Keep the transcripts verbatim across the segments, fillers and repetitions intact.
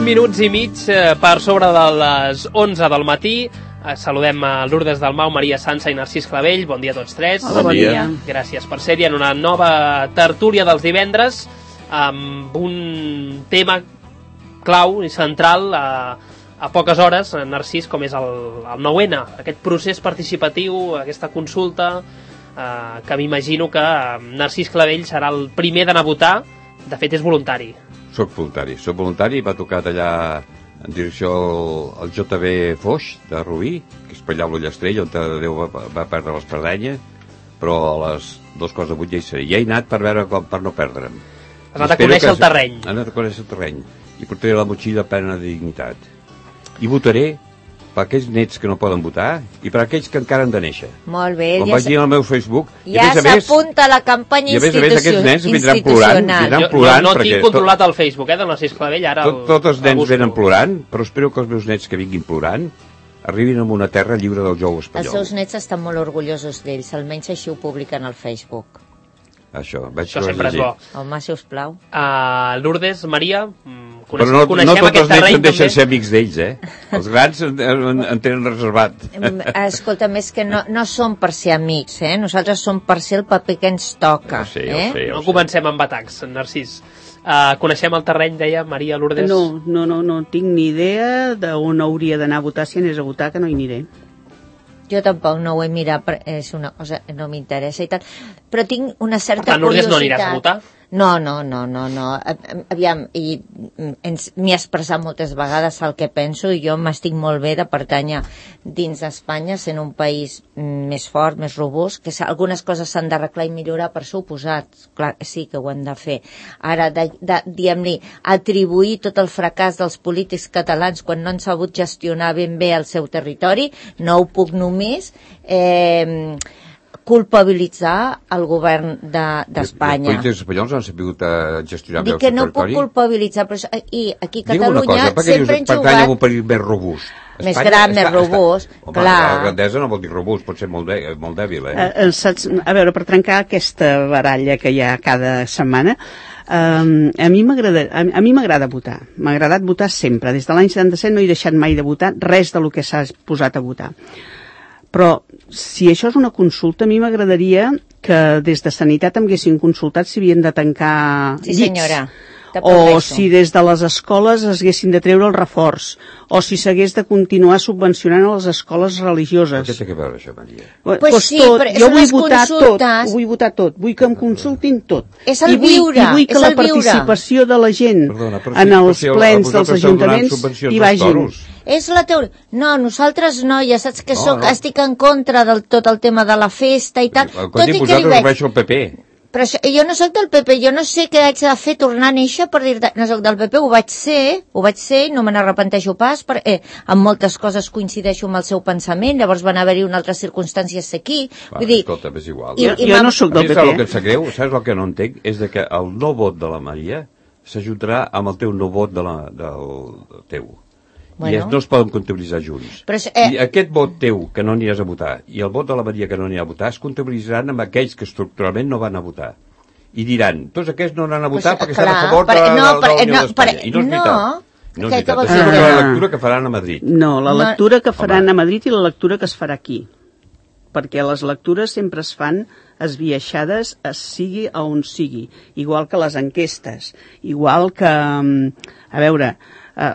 vuit minuts i mig per sobre de les onze del matí. Saludem a Lourdes Dalmau, Maria Sança i Narcís Clavell. Bon dia a tots tres. Hola, bon dia. Gràcies per ser-hi en una nova tertúlia dels divendres amb un tema clau i central a, a poques hores, Narcís, com és el, el nou ene, aquest procés participatiu, aquesta consulta, eh, que m'imagino que Narcís Clavell serà el primer d'anar a votar. De fet, és voluntari. Soc voluntari, soc voluntari. M'ha tocat allà en direcció al, al J B Foix de Rubí, que és per allà a l'Ullastrell, on Déu va, va perdre l'Espardenya, però a les dos quarts de vuit ja hi seré. Ja he anat per veure com, per no perdre'm. Has anat a conèixer el terreny. He anat a conèixer el terreny. I portaré la motxilla plena de dignitat. I votaré per aquells nets que no poden votar i per aquells que encara han de néixer. Molt bé. Com ja vaig dir al meu Facebook. Ja s'apunta la campanya institucional. I a més a més aquests nens vindran plorant. Vindran plorant jo, no tinc controlat el Facebook, eh, de Narcís Clavell. Ara tot, tots els nens venen plorant, però espero que els meus nets que vinguin plorant arribin a una terra lliure del jou espanyol. Els seus nets estan molt orgullosos d'ells, almenys així ho publiquen al Facebook. Això, vaig Això sempre és bo. Home, si us plau. Uh, Lourdes, Maria, coneix, però no, no tots els nens en deixen ser amics d'ells, eh? Els grans en, en, en tenen reservat. Escolta, més que no, no som per ser amics, eh? Nosaltres som per ser el paper que ens toca. Ja sé, eh? ja sé, ja no comencem amb atacs, Narcís. Uh, coneixem el terreny, deia Maria Lourdes? No, no, no, no tinc ni idea d'on hauria d'anar a votar. Si anés a votar, que no hi aniré. Jo tampoc no ho he mirat, és una cosa que no m'interessa i tal, però tinc una certa per tant, curiositat. No aniràs a votar? No, no, no, no, no. Aviam, i m'he expressat moltes vegades el que penso i jo m'estic molt bé de pertànyer dins d'Espanya, sent un país més fort, més robust, que algunes coses s'han d'arreglar i millorar, per suposat. Clar, sí que ho hem de fer. Ara, de, de, diguem-li, atribuir tot el fracàs dels polítics catalans quan no han sabut gestionar ben bé el seu territori, no ho puc només eh, culpabilitzar el govern d'Espanya. Els polítics espanyols han sabut gestionar bé el seu territori? Dic que no puc culpabilitzar, però i aquí a Catalunya cosa, sempre han jugat... Pertany a un país més robust. Més Espanya, gran, més robust, home, clar. La grandesa no vol dir robust, pot ser molt, de, molt dèbil, eh? Uh, saps, a veure, per trencar aquesta baralla que hi ha cada setmana, um, a mi m'agrada a, a mi m'agrada votar. M'ha agradat votar sempre. Des de l'any setanta-set no he deixat mai de votar res del que s'ha posat a votar. Però si això és una consulta, a mi m'agradaria que des de Sanitat em haguessin consultat si havien de tancar sí, llits. Senyora. O si des de les escoles es haguessin de treure el reforç, o si s'hagués de continuar subvencionant a les escoles religioses. Què té que veure això, Maria? Pues, pues sí, tot. però jo són vull les votar consultes. tot, ho vull votar tot, vull que em consultin tot. És el I vull, viure, i vull que és la el viure. participació de la gent Perdona, en si, els si plens dels ajuntaments hi vagin. És la teoria. No, nosaltres no, ja saps que no, soc, no. estic en contra del tot el tema de la festa i tal. El codi posat ho veig al P P. Però això, jo no soc del P P, jo no sé què haig de fer tornar a néixer per dir, no soc del P P, ho vaig ser, ho vaig ser, no me n'arrepenteixo pas, perquè eh, en moltes coses coincideixo amb el seu pensament, llavors van haver-hi una altra circumstància ser aquí. Va, vull dir, escolta, és igual. I, jo, i jo no soc del P P. El que em sap greu, saps el que no entenc? És de que el no vot de la Maria s'ajuntarà amb el teu no vot de la, del teu. Bueno. I no es poden comptabilitzar junts. Però, eh... I aquest vot teu, que no aniràs a votar, i el vot de la Maria, que no anirà a votar, es comptabilitzaran amb aquells que estructuralment no van a votar. I diran, tots aquests no anaran a votar pues, perquè clar, estan a favor per, de, no, de, de la Unió no, d'Espanya. I no és veritat. No, no és veritat. Això és la lectura que faran a Madrid. No, la lectura que faran Home. a Madrid i la lectura que es farà aquí. Perquè les lectures sempre es fan esbiaixades, es sigui a on sigui. Igual que les enquestes. Igual que, a veure,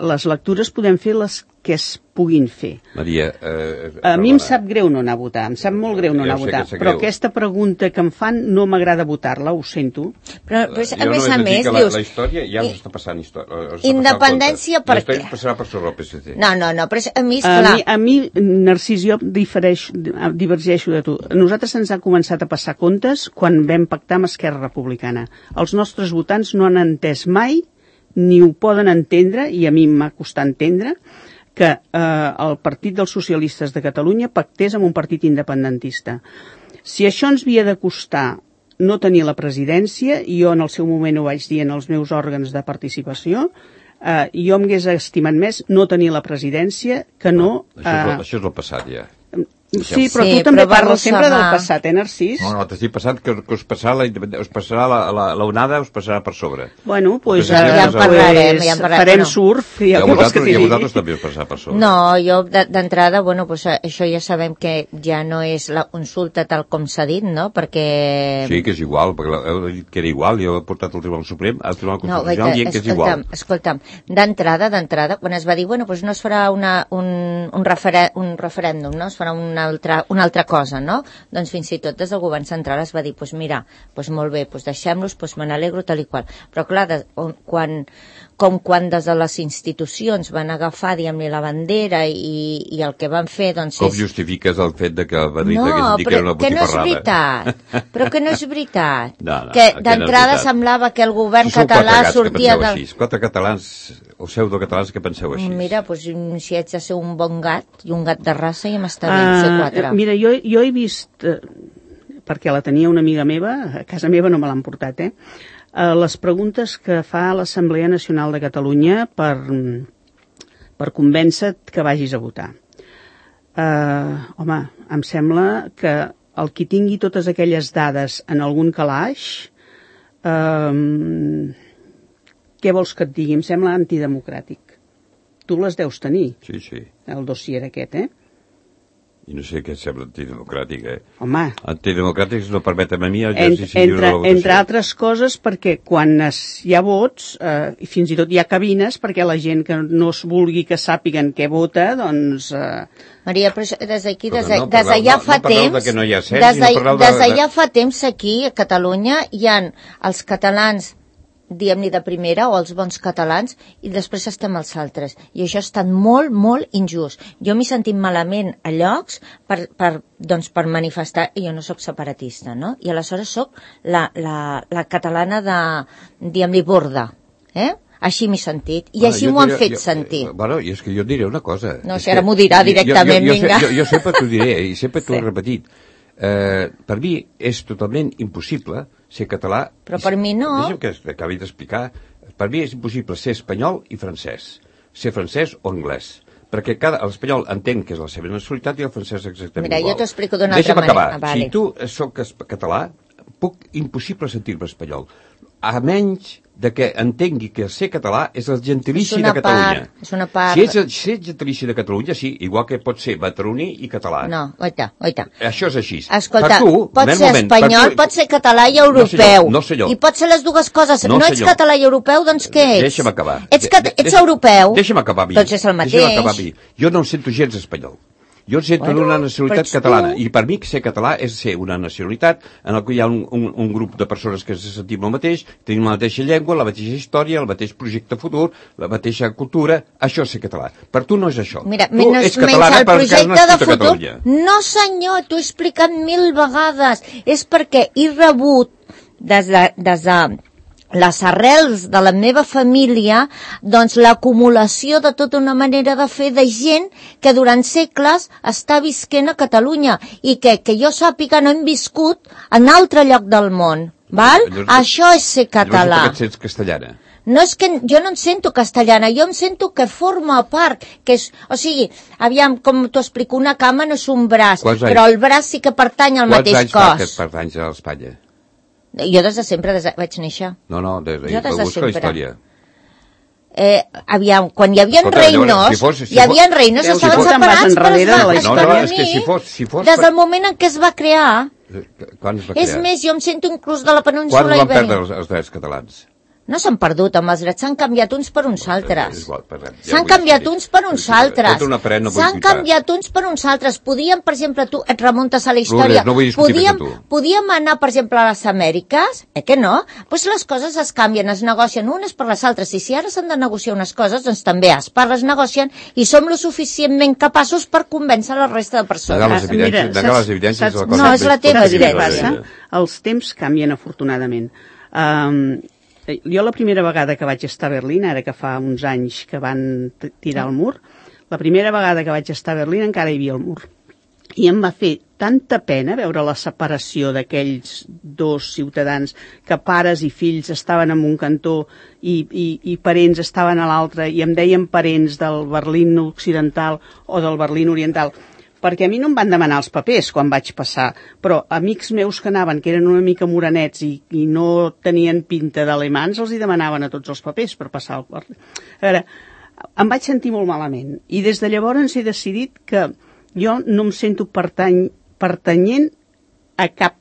les lectures podem fer les que es puguin fer. Maria... Eh, a mi em sap greu no anar a votar, em sap molt greu no anar a votar, però aquesta pregunta que em fan no m'agrada votar-la, ho sento. Però, però a més a més, la, dius... La història ja us està passant història. Independència per què? La història passarà per sobre el P S C. No, no, no, però a mi, esclar... A mi, a mi Narcís, jo difereix, divergeixo de tu. A nosaltres ens ha començat a passar comptes quan vam pactar amb Esquerra Republicana. Els nostres votants no han entès mai, ni ho poden entendre, i a mi m'ha costat entendre, que eh, el Partit dels Socialistes de Catalunya pactés amb un partit independentista. Si això ens havia de costar no tenir la presidència, i jo en el seu moment ho vaig dir en els meus òrgans de participació, eh, jo m'hagués estimat més no tenir la presidència que no... no això, és, eh, això és el passat ja. Sí, però sí, tu també però parles sempre del passat, eh, Narcís? No, no, t'estic passant que, que us passarà la, us passarà la, la, la onada, us passarà per sobre. Bueno, doncs ja, ja en parlarem, ja en parlarem. Farem no. surf i ja vosaltres, ja vosaltres també us passarà per sobre. No, jo d'entrada, bueno, pues, això ja sabem que ja no és la consulta tal com s'ha dit, no? Perquè... Sí, que és igual, perquè heu dit que era igual, jo he portat al Tribunal Suprem, al Tribunal Constitucional, no, dient que és igual. Escolta'm, d'entrada, d'entrada, quan es va dir, bueno, pues no es farà una, un, un, referen un referèndum, no? Es farà una altra, una altra cosa, no? Doncs fins i tot des del govern central es va dir, pues mira, pues molt bé, pues deixem-los, pues me n'alegro tal i qual. Però clar, de, quan, com quan des de les institucions van agafar, diguem-li, la bandera i, i el que van fer, doncs com és... Com justifiques el fet de que Madrid no, hagués dit que era una botifarrada? No, però que no és veritat. Però que no és veritat. No, no, que d'entrada no semblava que el govern si català sortia de... Així. Quatre catalans, o pseudocatalans que penseu així. Mira, pues, si haig de ser un bon gat i un gat de raça ja m'està bé uh, ser quatre. Mira, jo, jo he vist, eh, perquè la tenia una amiga meva, a casa meva no me l'han portat, eh, eh, les preguntes que fa l'Assemblea Nacional de Catalunya per, per convèncer-te que vagis a votar. Eh, home, em sembla que el qui tingui totes aquelles dades en algun calaix, eh, què vols que et digui? Em sembla antidemocràtic. Tu les deus tenir. Sí, sí. El dossier aquest, eh? I no sé què et sembla antidemocràtic, eh? Home. Antidemocràtics no permeten a mi l'exercici lliure de la votació. Entre altres coses perquè quan es, hi ha vots, eh, i fins i tot hi ha cabines perquè la gent que no es vulgui que sàpiguen què vota, doncs... Eh... Maria, però des d'aquí, des de, no des de ja no, fa no temps... De que no hi ha cens, des de, no des de de... ja fa temps aquí, a Catalunya, hi ha els catalans diguem-ne de primera, o els bons catalans, i després estem els altres. I això ha estat molt, molt injust. Jo m'he sentit malament a llocs per, per, doncs, per manifestar, i jo no sóc separatista, no? I aleshores sóc la, la, la catalana de, diguem-li, borda, eh? Així m'he sentit, i bueno, així m'ho han fet jo, sentir. Bueno, i és que jo et diré una cosa. No, si ara m'ho dirà directament, jo, jo, jo, vinga. Jo, jo, jo sempre t'ho diré, i sempre t'ho sí. he repetit. Eh, per mi és totalment impossible ser català... Però per mi no. Deixa'm que acabi d'explicar. Per mi és impossible ser espanyol i francès. Ser francès o anglès. Perquè cada, l'espanyol entén que és la seva nacionalitat i el francès exactament Mira, igual. jo t'ho explico d'una altra manera. Deixa'm acabar. Ah, vale. Si tu soc català, puc impossible sentir-me espanyol. A menys de que entengui que ser català és el gentilici de Catalunya. Part, és una part... Si ets, si ets gentilici de Catalunya, sí, igual que pot ser batroní i català. No, oita, oita. Això és així. Escolta, tu, pot ser moment, espanyol, tu... pot ser català i europeu. No, senyor, no, senyor. I pot ser les dues coses. No, no ets senyor. Català i europeu, doncs què ets? Deixa'm acabar. Ets, cat... ets deixa, europeu. Deixa'm acabar a mi. Doncs és el mateix. Deixa'm acabar a mi. Jo no em sento gens espanyol. Jo em sento bueno, d'una nacionalitat catalana. Tu... I per mi ser català és ser una nacionalitat en la que hi ha un, un, un grup de persones que se sentim el mateix, tenim la mateixa llengua, la mateixa història, el mateix projecte futur, la mateixa cultura. Això és ser català. Per tu no és això. Mira, tu menys, ets catalana el projecte de futur... Catalunya. No, senyor, t'ho he explicat mil vegades. És perquè he rebut des de... Des de les arrels de la meva família, doncs l'acumulació de tota una manera de fer de gent que durant segles està visquent a Catalunya i que, que jo sàpiga no hem viscut en altre lloc del món. Val? Llavors, això és ser català. Llavors, et sents castellana? No és que jo no em sento castellana, jo em sento que forma part, que és, o sigui, aviam, com t'ho explico, una cama no és un braç, però el braç sí que pertany al mateix cos. Quants anys fa que pertanys a l'Espanya? Jo des de sempre des de, vaig néixer. No, no, des de, jo des de sempre. La història. Eh, aviam, quan hi havia reinos, si fos, si hi havia reinos, si estaven fos, separats, però es va, de es va no, no, unir si fos, si fos des del moment en què es va crear. Quan es va crear? És més, jo em sento inclús de la península Ibèrica. Quan van perdre els, els drets catalans? No s'han perdut, amb els drets s'han canviat uns per uns altres. S'han ja canviat uns per uns altres. No s'han canviat uns per uns altres. Podíem, per exemple, tu et remuntes a la història. No podíem, podíem anar, per exemple, a les Amèriques, eh que no? Doncs pues les coses es canvien, es negocien unes per les altres. I si ara s'han de negociar unes coses, doncs també es parles, negocien i som lo suficientment capaços per convèncer la resta de persones. Negar les evidències, Mira, negar les evidències saps, no, és la teva evidència. Els temps canvien, afortunadament. Um, Jo la primera vegada que vaig estar a Berlín, ara que fa uns anys que van tirar el mur, la primera vegada que vaig estar a Berlín encara hi havia el mur. I em va fer tanta pena veure la separació d'aquells dos ciutadans que pares i fills estaven en un cantó i, i, i parents estaven a l'altre i em deien parents del Berlín occidental o del Berlín oriental perquè a mi no em van demanar els papers quan vaig passar, però amics meus que anaven, que eren una mica morenets i, i no tenien pinta d'alemans, els hi demanaven a tots els papers per passar el... A veure, em vaig sentir molt malament, i des de llavors he decidit que jo no em sento pertany, pertanyent a cap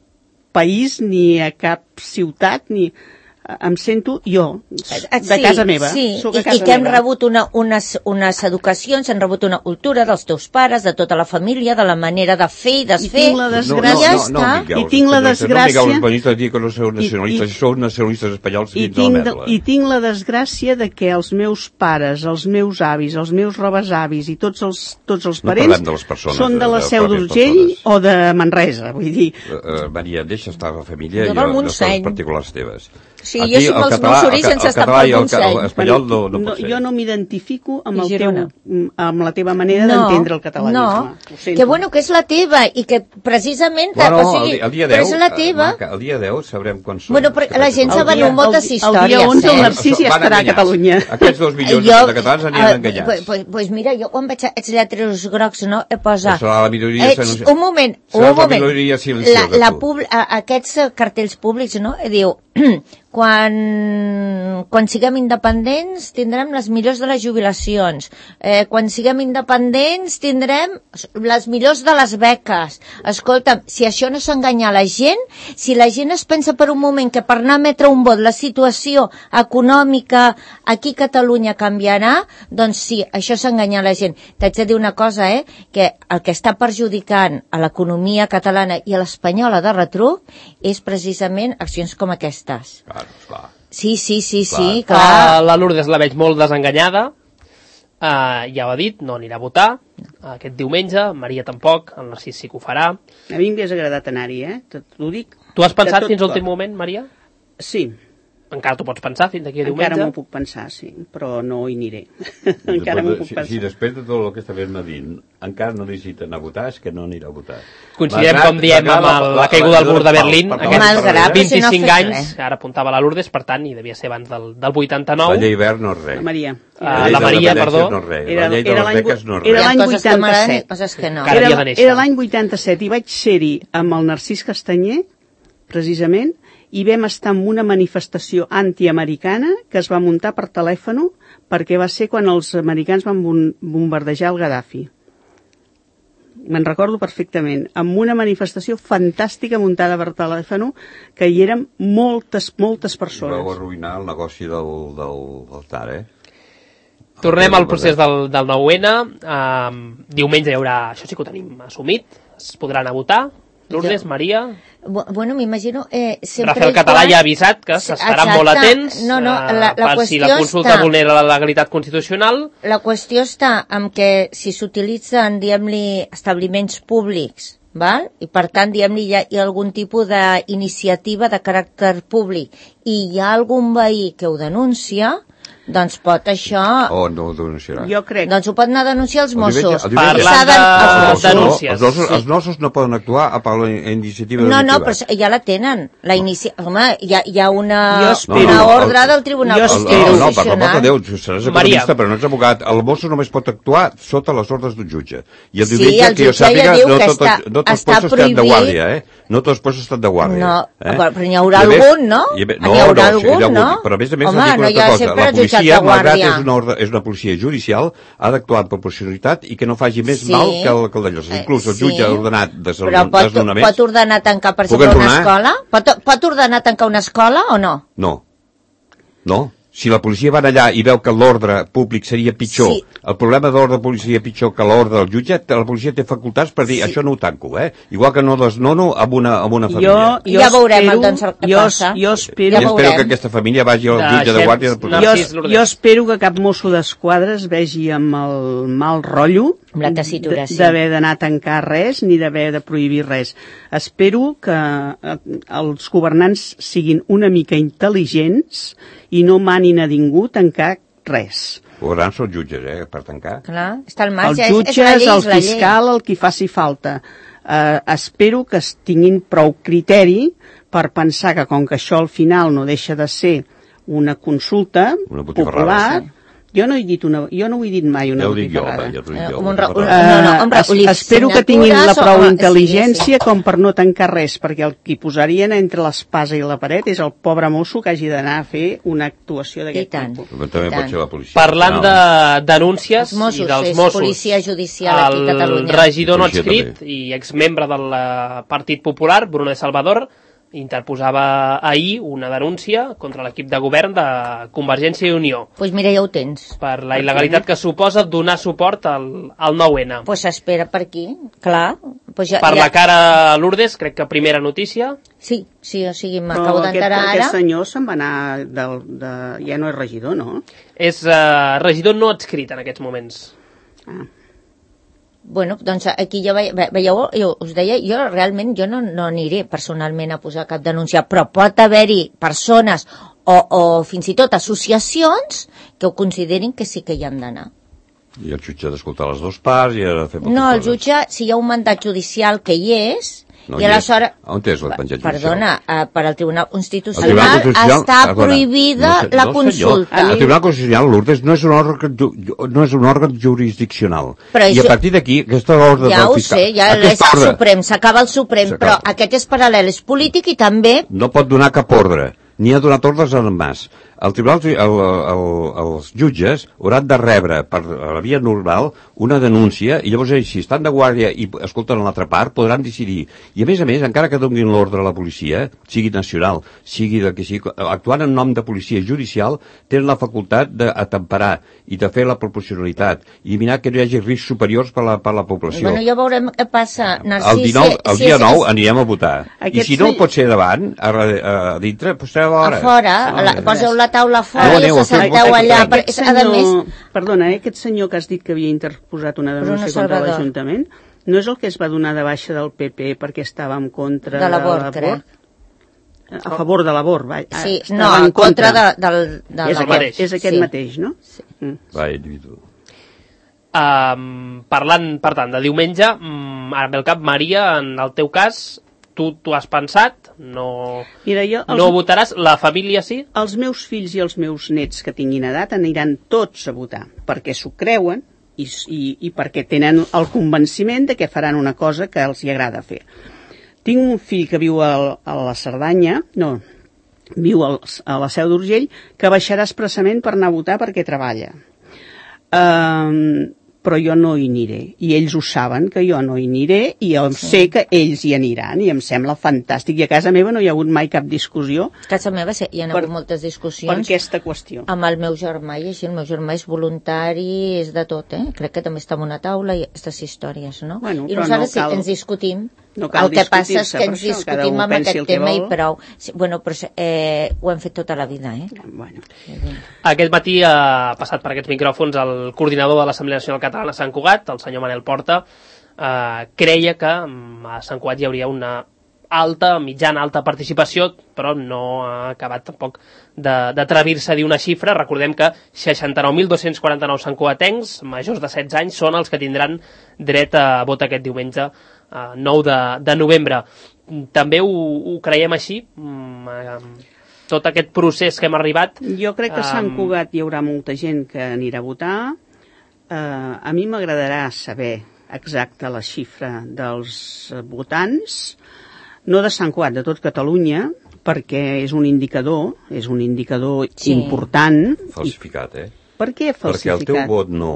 país, ni a cap ciutat, ni... em sento jo, de sí, casa meva. Sí, Soc a I, casa i que hem meva. rebut una, unes, unes educacions, hem rebut una cultura dels teus pares, de tota la família, de la manera de fer i desfer. I tinc la desgràcia... No, no, no, no, Miquel, I tinc la desgràcia... No, no, no, dir que no sou nacionalistes, i, sou nacionalistes espanyols i dins de la merda. I tinc la desgràcia de que els meus pares, els meus avis, els meus rebesavis i tots els, tots els parents no de les persones, són de la de, de Seu d'Urgell o de Manresa, vull dir... Uh, uh, Maria, deixa estar la família de i les coses particulars teves. Sí, Aquí, jo soc els meus orígens sense estar pel Montseny. L'espanyol no, no pot ser. Jo no m'identifico amb, el teu, amb la teva manera no, d'entendre el catalanisme. No, que bueno, que és la teva i que precisament... Bueno, o sigui, el, el dia deu, però és la teva. Maca, el dia deu sabrem quan són. Bueno, però la gent s'ha venut moltes històries. El dia onze el Narcís ja estarà a Catalunya. Aquests dos milions jo, de catalans aniran enganyats. Pues, pues, pues mira, jo quan vaig a els lletres grocs, no, he posat... Serà la minoria... Eh, un moment, un moment. La, la pub, aquests cartells públics, no, diu... Quan, quan siguem independents tindrem les millors de les jubilacions, eh, quan siguem independents tindrem les millors de les beques. Escolta'm, si això no és enganyar la gent, si la gent es pensa per un moment que per anar a emetre un vot la situació econòmica aquí a Catalunya canviarà, doncs sí, això és enganyar la gent. T'haig de dir una cosa, eh, que el que està perjudicant a l'economia catalana i a l'espanyola de retruc és precisament accions com aquestes. Clar. Clar. Sí, sí, sí, clar. sí, clar. Uh, la Lourdes la veig molt desenganyada, uh, ja ho ha dit, no anirà a votar uh, aquest diumenge, Maria tampoc, el Narcís sí que ho farà. A mi m'hagués agradat anar-hi, eh? T'ho dic. Tu has pensat fins a l'últim moment, Maria? Sí. Encara t'ho pots pensar fins d'aquí a diumenge? Encara m'ho puc pensar, sí, però no hi aniré. Encara m'ho puc si, pensar. Si després de tot el que està fent Madín encara no necessiten a votar, és que no anirà a votar. Considerem, com diem, amb el, la caiguda del mur de Berlín, aquests vint-i-cinc anys, ara apuntava la Lourdes, per tant, i devia ser abans del, del vuitanta-nou. La llei verd no és res. La Maria. Uh, la Maria, perdó. No res. La llei de les beques no és res. Era l'any vuitanta-set. No. Era, era l'any vuitanta-set i vaig ser-hi amb el Narcís Castanyer, precisament, i vam estar en una manifestació antiamericana que es va muntar per telèfon perquè va ser quan els americans van bombardejar el Gaddafi. Me'n recordo perfectament, amb una manifestació fantàstica muntada per telèfon que hi eren moltes, moltes persones. Vau arruïnar el negoci del, del, del T A R, eh? Tornem al procés del, del nou ene. Um, diumenge hi haurà... Això sí que ho tenim assumit. Es podran anar a votar. Lourdes, jo... Maria... Bueno, m'imagino... Eh, Rafael Català ja ha avisat que s'estaran molt atents no, no, la, la per si la consulta està... vulnera la legalitat constitucional. La qüestió està en que si s'utilitzen, diguem-li, establiments públics, val? I per tant, diguem-li, hi, hi ha algun tipus d'iniciativa de caràcter públic i hi ha algun veí que ho denuncia, doncs pot això... O no ho denunciarà. Jo crec. Doncs ho pot anar a denunciar els Mossos. Parlant de denúncies. Els, els, els Mossos no poden actuar a la iniciativa no, delictiva. No, però ja la tenen. La inici... Home, hi ha, hi ha una, espero, una no, no, ordre el, del Tribunal Constitucional. No, no, per l'amor de Déu, seràs economista, però no ets abogat. El Mosso només pot actuar sota les ordres d'un jutge. I el sí, diumenge, el que jo sàpiga, ja no, tot, està, no tots els puestos estan de guàrdia, eh? No tots els puestos estan de guàrdia. No, eh? però n'hi haurà algun, no? No, n'hi haurà no, algun, no? Però a més a més, home, no hi ha sempre el jutjat de guàrdia. És una, guàrdia. ordre, és una policia judicial, ha d'actuar amb proporcionalitat i que no faci més Sí. mal que el, que el d'allò. Inclús el jutge Sí. ha ordenat Però pot, desnonaments. pot ordenar tancar, per Puc exemple, una enronar? escola? Pot, pot ordenar tancar una escola o no? No. No. Si la policia va allà i veu que l'ordre públic seria pitjor, Sí. el problema de l'ordre públic seria pitjor que l'ordre del jutge, la policia té facultats per dir, Sí. això no ho tanco, eh? Igual que no desnono amb una, amb una família. Jo, jo Ja veurem, espero, doncs, el que jo, passa. Jo espero, Ja I espero veurem. que aquesta família vagi al jutge de Deixem- guàrdia de jo, policia. Narcís, Lourdes. jo espero que cap mosso d'esquadra es vegi amb el mal rotllo Amb la tessitura, sí. d'haver d'anar a tancar res ni d'haver de prohibir res. Espero que eh, els governants siguin una mica intel·ligents i no manin a ningú tancar res. Hauran són jutges, eh, per tancar. Clar, està al Els marge. És, és jutges, la llei, el és la llei. fiscal, el qui faci falta. Eh, espero que es tinguin prou criteri per pensar que com que això al final no deixa de ser una consulta Una botifarrada, popular, sí. Jo no he dit una, jo no ho he dit mai una botifarrada. Ja ho dic jo, Un va, ra- ja ho dic jo. un- no, no, hombre, Eh, es- espero que tinguin la signatures prou o- intel·ligència sí, sí. com per no tancar res, perquè el que posarien entre l'espasa i la paret és el pobre mosso que hagi d'anar a fer una actuació I d'aquest tant. tipus. Però també I pot tant. ser la policia. Parlant de denúncies Els Mossos, i dels és Mossos, policia judicial aquí a Catalunya. el regidor no Policia adscrit i exmembre del eh, Partit Popular, Bruno de Salvador, interposava ahir una denúncia contra l'equip de govern de Convergència i Unió Doncs pues mira, ja ho tens. per la il·legalitat que suposa donar suport al, al nou ene. Doncs pues espera per aquí, clar. Pues ja, Per ja... la cara Lourdes, crec que primera notícia. Sí, sí, o sigui, Però m'acabo aquest, d'enterar ara. aquest senyor se'n va anar del, de... ja no és regidor, no? És eh, regidor no adscrit en aquests moments. Ah. Bueno, doncs aquí ja ve, ve, veieu, jo us deia, jo realment jo no, no aniré personalment a posar cap denúncia, però pot haver-hi persones o, o fins i tot associacions que ho considerin que sí que hi han d'anar. I el jutge ha d'escoltar les dues parts i ha de fer moltes No, el coses. jutge, si hi ha un mandat judicial que hi és, No i hi és. aleshores... On és el penjat judicial? Perdona, eh, per al Tribunal El Constitucional Tribunal Constitucional, està perdona, prohibida no, sé- la no, consulta. Senyor, el Tribunal Constitucional, Lourdes, no és un òrgan, ju- no és un òrgan jurisdiccional. Però I això- a partir d'aquí, aquesta ordre Ja del ho fiscal... sé, ja és aquesta el ordre Suprem, s'acaba el Suprem, S'acaba. però aquest és paral·lel, és polític i també... no pot donar cap ordre, ni ha donat ordres en Mas. El tribunal, el, el, els jutges hauran de rebre per la via normal una denúncia i llavors ells, si estan de guàrdia i escolten l'altra part, podran decidir. I a més a més, encara que donin l'ordre a la policia, sigui nacional, sigui del que sigui, actuant en nom de policia judicial, tenen la facultat d'atemperar i de fer la proporcionalitat i mirar que no hi hagi riscs superiors per la, per la població. Bueno, ja veurem què passa, Narcís. El, dinou, el si, dia si nou és, anirem a votar. Aquest I si no sí- pot ser davant, a, a, a dintre, doncs estarem a a fora. fora, Ah, la, poseu la taula a fora No, i aneu, us assenteu feu- allà. feu- Però, Aquest a senyor, més, perdona, eh, aquest senyor que has dit que havia interposat una Bruno denúncia contra Salvador. l'Ajuntament, no és el que es va donar de baixa del P P perquè estava en contra de l'abort, crec. A favor de l'abort, va. Sí, estava no, en en contra de, del, de és, l'abort. aquest, és aquest Sí. mateix, no? Sí. Mm. Va, individu. Um, parlant, per tant, de diumenge, um, ara ve el cap, Maria, en el teu cas, tu t'ho has pensat, no, Mira, jo, els, no votaràs, la família sí? els meus fills i els meus nets que tinguin edat aniran tots a votar, perquè s'ho creuen i, i, i perquè tenen el convenciment de que faran una cosa que els hi agrada fer. Tinc un fill que viu a, a la Cerdanya, no, viu al, a la Seu d'Urgell, que baixarà expressament per anar a votar perquè treballa. Um, però jo no hi aniré, i ells ho saben que jo no hi aniré, i jo sí. sé que ells hi aniran, i em sembla fantàstic, i a casa meva no hi ha hagut mai cap discussió A casa meva sí, hi ha Per- hagut moltes per discussions aquesta qüestió. amb el meu germà i així, el meu germà és voluntari, és de tot, eh? Crec que també està en una taula i aquestes històries, no? Bueno, I però nosaltres no cal- sí, ens discutim. no cal el que passa és discutir-se que per ens això, cada discutim un amb pensi aquest el que tema i vol. prou. Sí, bueno, però eh, ho hem fet tota la vida, eh? Bueno. Aquest matí ha passat per aquests micròfons el coordinador de l'Assemblea Nacional Catalana a Sant Cugat, el senyor Manel Porta, eh, creia que mm, a Sant Cugat hi hauria una alta, mitjana alta participació, però no ha acabat tampoc de- d'atrevir-se a dir una xifra. Recordem que seixanta-nou mil dos-cents quaranta-nou santcugatencs majors de setze anys són els que tindran dret a vot aquest diumenge eh, nou de, de novembre. També ho, ho creiem així? Mm, eh, tot aquest procés que hem arribat... Jo crec que a Sant Em, Cugat hi haurà molta gent que anirà a votar. Uh, a mi m'agradarà saber exacta la xifra dels eh, votants, no de Sant Cugat, de tot Catalunya, perquè és un indicador, és un indicador Sí. important. Falsificat, eh? Per què Perquè falsificat? el teu vot no,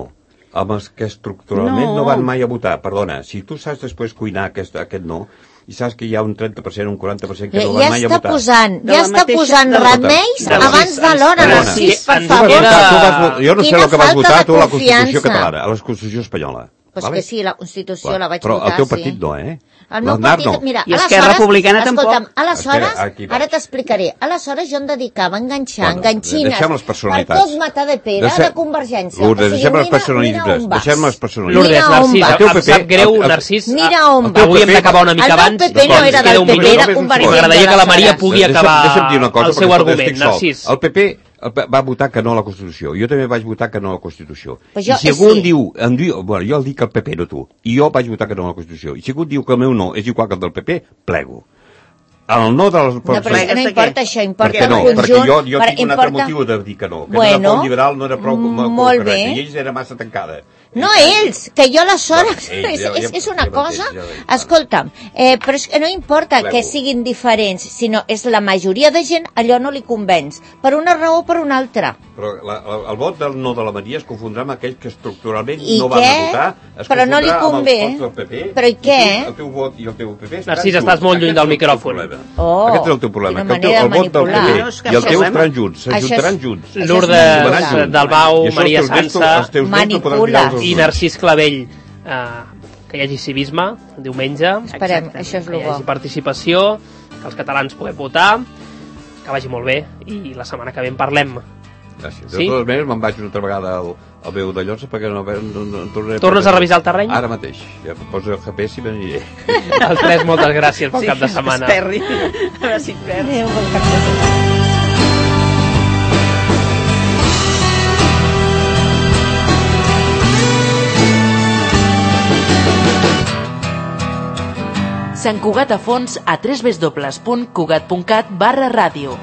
amb els que estructuralment no. No. no van mai a votar, perdona, si tu saps després cuinar aquest, aquest no, i saps que hi ha un trenta per cent, un quaranta per cent que Ja, no ja van mai a està votar. posant, De ja la està mateixa- posant de la- remeis de la- abans de l'hora, Perdona, Narcís, sí, per ens Tu vas favor. queda- votar, tu vas votar, jo no sé Quina el que vas falta votar de tu a la Constitució confiança. catalana, a la Constitució espanyola. Pues vale? que sí, la Constitució Clar, la vaig però votar, el teu sí. partit no, eh? El meu L'Aznar partit, no. mira, I Esquerra aleshores, Republicana escolta'm, tampoc. aleshores, Espera, aquí vaig. ara t'explicaré, aleshores jo em dedicava a enganxar, Bueno, enganxines, deixem les per personalitats. tot matar de pere, Deixem- de Convergència. Lourdes, O sigui, deixem les mira- personalitats, mira on vas. deixem les personalitats. Lourdes, Mira on Narcís, vas. El teu em P P, sap greu, el- el- Narcís. Mira on el vas. Avui hem d'acabar una mica El meu abans. P P no D'acord, era ens queda del un P P, minut. era convergent. M'agradaria que la Maria aleshores. pugui Deixa'm- acabar deixa'm dir una cosa, el seu perquè argument, estic sol. Narcís. El P P el P- va votar que no a la Constitució. Jo també vaig votar que no a la Constitució. Però jo- I si algú sí. em diu, em diu... Bueno, jo el dic el P P, no tu. I jo vaig votar que no a la Constitució. I si algú diu que el meu no és igual que el del P P, plego. El no dels... No, però és que no importa això, importa el no? conjunt. Perquè jo, jo tinc un altre motiu de dir que no, que bueno, la Pol Liberal no era prou, prou correcta, i ells era massa tancada. No, ells, que jo aleshores... No, és, és, és una cosa... Escolta'm, eh, però és que no importa que siguin diferents, sinó és la majoria de gent, allò no li convenç, per una raó o per una altra. Però la, la, el vot del no de la Maria es confondrà amb aquells que estructuralment I no què? van a votar, es però no li convé. amb els vots del P P, però i què? El teu vot i el teu P P... Narcís, estàs molt lluny del micròfon. Oh, Aquest és el teu problema, que el, teu, el vot del P P i el teu estaran junts, s'ajuntaran junts. Lourdes Dalbau, Maria Sança, manipula. I Narcís Clavell, eh, que hi hagi civisme diumenge. Esperem, això és el bo. Que hi hagi participació, que els catalans puguem votar, que vagi molt bé, i la setmana que ve en parlem. Gràcies. De sí? totes maneres, me'n vaig una altra vegada al, al meu de Llosa perquè no, no, no tornaré... Tornes a revisar el terreny? Ara mateix. Ja poso el G P S i me n'aniré. Els tres, moltes gràcies pel sí, cap de setmana. Sí, esperri. A veure si et perds. Adéu, bon cap de setmana. Sant Cugat a fons a w w w punt cugat punt cat barra ràdio.